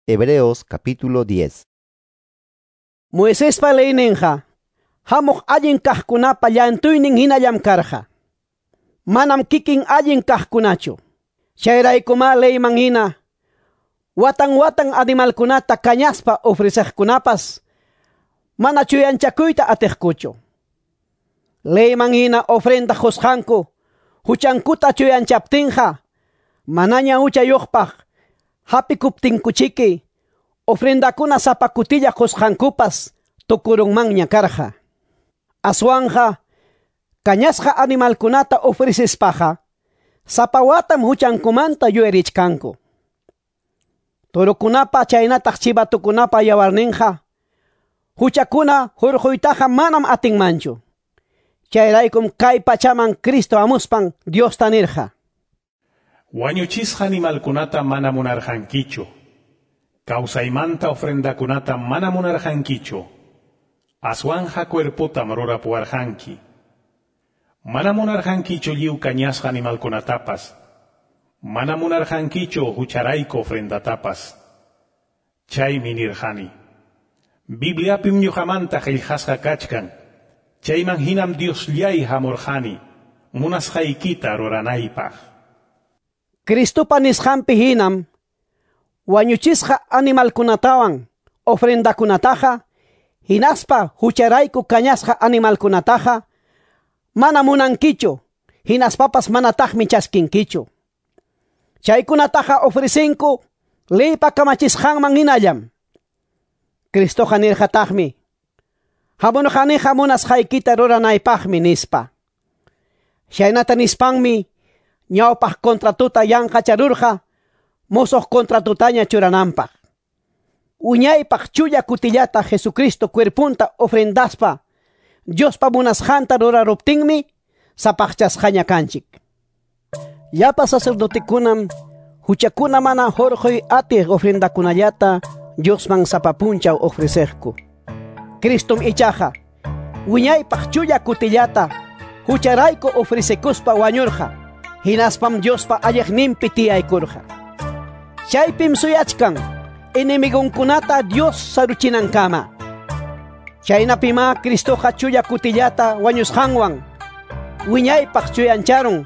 Hebreos capítulo 10. Moisespa leyninqa hamuq allin kaqkunapa llantuynin hinallam karqa. Manam kikin allin kaqkunachu. Chayraykuma leyman hina watan watan animalkunata kañaspa ofreceqkunapas mana chuyanchakuyta atiqkuchu. Leyman hina ofrenda qusqanku huchankuta chuyanchaptinqa manaña huchayuqpaq hapikuptinkuchiki ofrendakuna sapa kutilla qusqankupas tukurunmanña karqa. Aswanja kañasqa animalkunata ofrecispaqa sapa watam huchankumanta yuyarichkanku. Torokunapa chaynataq chivatukunapa yawarninqa huchakuna hurquytaqa manam atinmanchu. Chayraykum kay pachaman Cristo amuspan Diosta nirqa: Wañuchisqa animalkunata mana munarqankichu. Kawsaymanta ofrendakunata mana munarqankichu. Aswanja cuerpotam rurapuwarqanki. Mana munarqankichu lliw kañasqa animalkunatapas. Mana munarqankichu hucharayku ofrendatapas. Chaymi nirqani: Bibliapim ñuqamanta qillqasqa kachkan. Chayman hinam Diosllay hamurqani, munasqaykita ruranaypaq. Cristopa nisqanpi hinam wañuchisqa animalkunatawan ofrendakunataqa hinaspa hucharayku kañasqa animalkunataqa mana munankichu, hinaspapas manataqmi chaskinkichu. Chaykunataqa ofrecinku leypa kamachisqanman hinallam. Cristoqa nirqataqmi: Hamurqaniqa munasqaykita ruranaypaqmi nispa. Chaynata nispanmi ñawpaq contratuta yanqacharurqa musuq contratutaña churananpaq. Uñaypaq chulla kutillata Jesucristo cuerpunta ofrendaspa Diospa munasqanta ruraruptinmi sapaqchasqaña kanchik. Llapa sacerdotekunam huchakuna mana hurquy atiq ofrendakunallata Diosman sapa punchaw ofreceqku. Cristom ichaqa wiñaypaq chulla kutillata hucharayku ofrecekuspa wañurqa, hinaspam Diospa alliqninpi tiyaykurqa. Chaypim suyachkan enemigonkunata Dios saruchinankama. Chaynapima Cristoqa chulla kutillata wañusqanwan wiñaypaq chuyancharun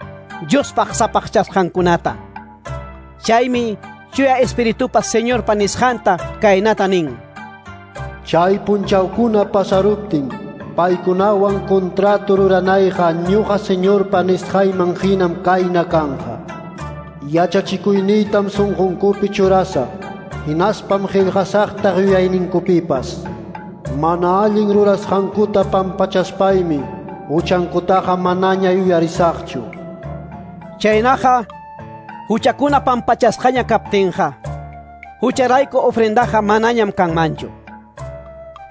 Diospaq sapaqchasqankunata. Chaymi chuya Espiritupa Señorpa nisqanta kaynata nin: Chay punchawkuna pasaruptin paykunawan contrato ruranayqa ñuqa Señorpa nisqayman hinam kayna kanja. Yachachikuyniytam sunqunkupi churasa, hinaspam qillqasaqta yuyayninkupipas. Mana allin rurasqankuta pampachaspaymi huchankutaqa manaña yuyarisaqchu. Chaynaqa huchakuna pampachasqaña kaptinqa hucharayku ofrendaqa manañam kanmanchu.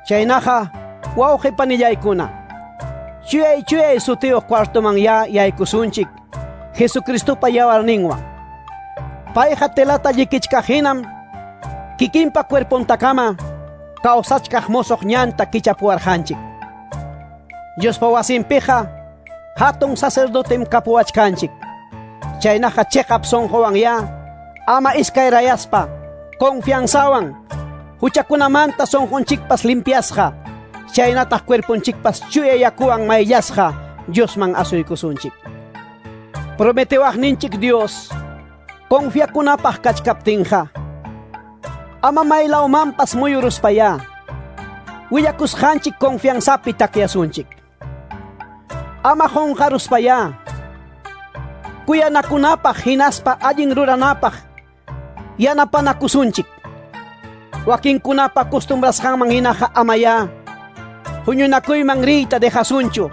Chaynaqa wawqi panillaykuna, chuyay chuyay sutiyuq cuartoman ya yaykusunchik Jesucristopa yawarninwan. Payqa telata llikichkaq hinam kikinpa cuerpontakama kawsachkaq musuq ñanta kichapuwarqanchik. Diospa wasinpiqa hatun sacerdotem kapuwachkanchik. Chaynaqa chiqap sunquwan ya ama iskayrayaspa confianzawan huchakunamanta sunqunchikpas limpiasqa, chaynataq cuerponchikpas chuya yakuwan mayllasqa Diosman asuykusunchik. Prometewaqninchik Dios confiakunapaq kachkaptinqa ama maylawmanpas muyuruspaya willakusqanchik confianzapi takyasunchik. Ama qunqaruspaya kuyanakunapaq hinaspa allin ruranapaq yanapanakusunchik. Wakinkunapa costumbrasqanman hinaqa amaya huñunakuyman riyta dejasunchu.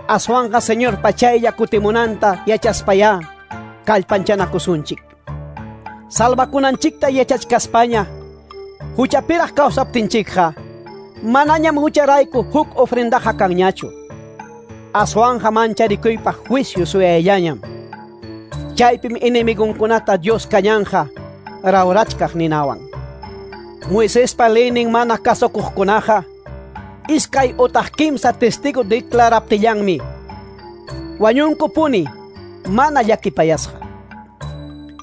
Aswanqa Señorpa chaylla kutimunanta yachaspaya kallpanchanakusunchik. Salvakunanchikta yachachkaspaña huchapiraq kawsaptinchikqa manañam hucharayku huk ofrendaqa kanñachu. Aswanja mancharikuypaq juicio suyayllañam. Chaypim enemigonkunata Dios kañanja rawrachkaq ninawan. Moisespa leynin mana kasukuqkunaqa iskay utaq kimsa testigo declaraptillanmi wañunkupuni mana llakipayasqa.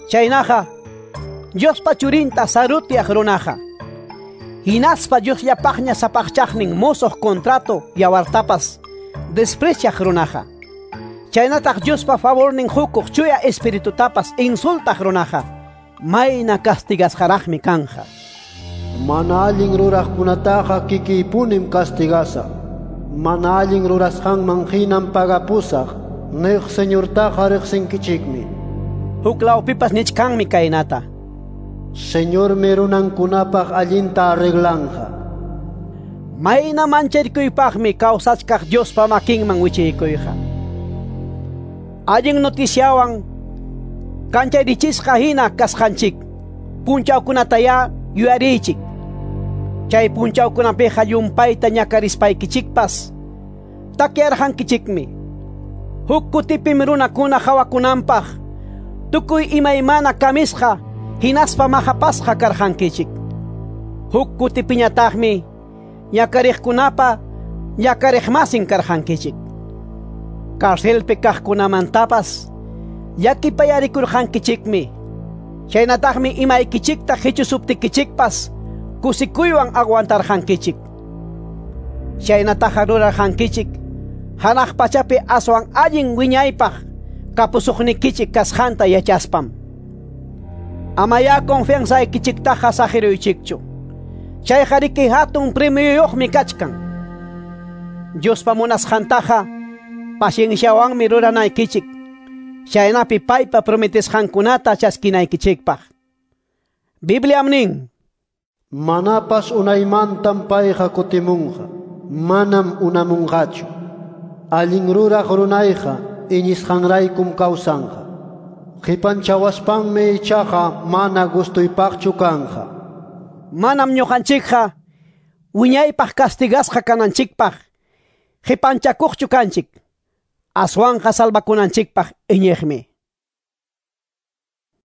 Chaynaqa Diospa churinta sarutiaq runaqa. Hinaspa Diosllapaqña sapaqchaqnin mosoq contrato yawartapas despreciaq runaqa. Chaynataq Diospa favornin hukuq chuya espiritutapas insultaq runaqa. Mayna castigasqaraqmi kanja. Mana allin ruraqkunataqa kikiypunim castigasaq. Mana allin rurasqanman hinam pagapusaq. Niq Señortaqa riqsinkichikmi. Huklawpipas nichkanmi kaynata. Señormi runankunapaq allinta arreglanja. Mayna mancharikuypaqmi kawsachkaq Diospa makinman wichiykuyqa. Allin noticiawan kancharichisqa hina kasqanchik. Punchawkunataya yuyariychik. Chay punchawkunapiqa llumpayta ñakarispaykichikpas takyarqankichikmi. Huk kutipim runakuna hawakunanpaq tukuy imaymana kamisqa hinaspa mahapasqa karqankichik. Huk kutipiñataqmi ñakariqkunapa ñakariqmasin karqankichik. Carcelpi kaqkunamantapas llakipayarikurqankichikmi. Chaynataqmi imaykichikta hichusuptikichikpas kusikuywan aguantarqankichik. Chaynataqa rurarqankichik hanaq pachapi aswan allin wiñaypaq kapusuqnikichik kasqanta yachaspam. Amaya confianzaykichiktaqa saqiruychikchu. Chayqa riki hatun premioyuqmi kachkan. Diospa munasqantaqa pacienciawanmi ruranaykichik. Chaynapi paypa prometesqankunata chaskinaykichikpaq. Bibliam nin: Manapas unaymantam payqa kutimunqa, manam unamunqachu. Allin ruraq runayqa iñisqanraykum kawsanqa. Qipanchawaspanmi ichaqa mana gustuypaqchu kanja. Manam ñuqanchikqa wiñaypaq castigasqa kananchikpaq qipanchakuqchu kanchik. Aswanqa salvakunanchikpaq iñiqmi.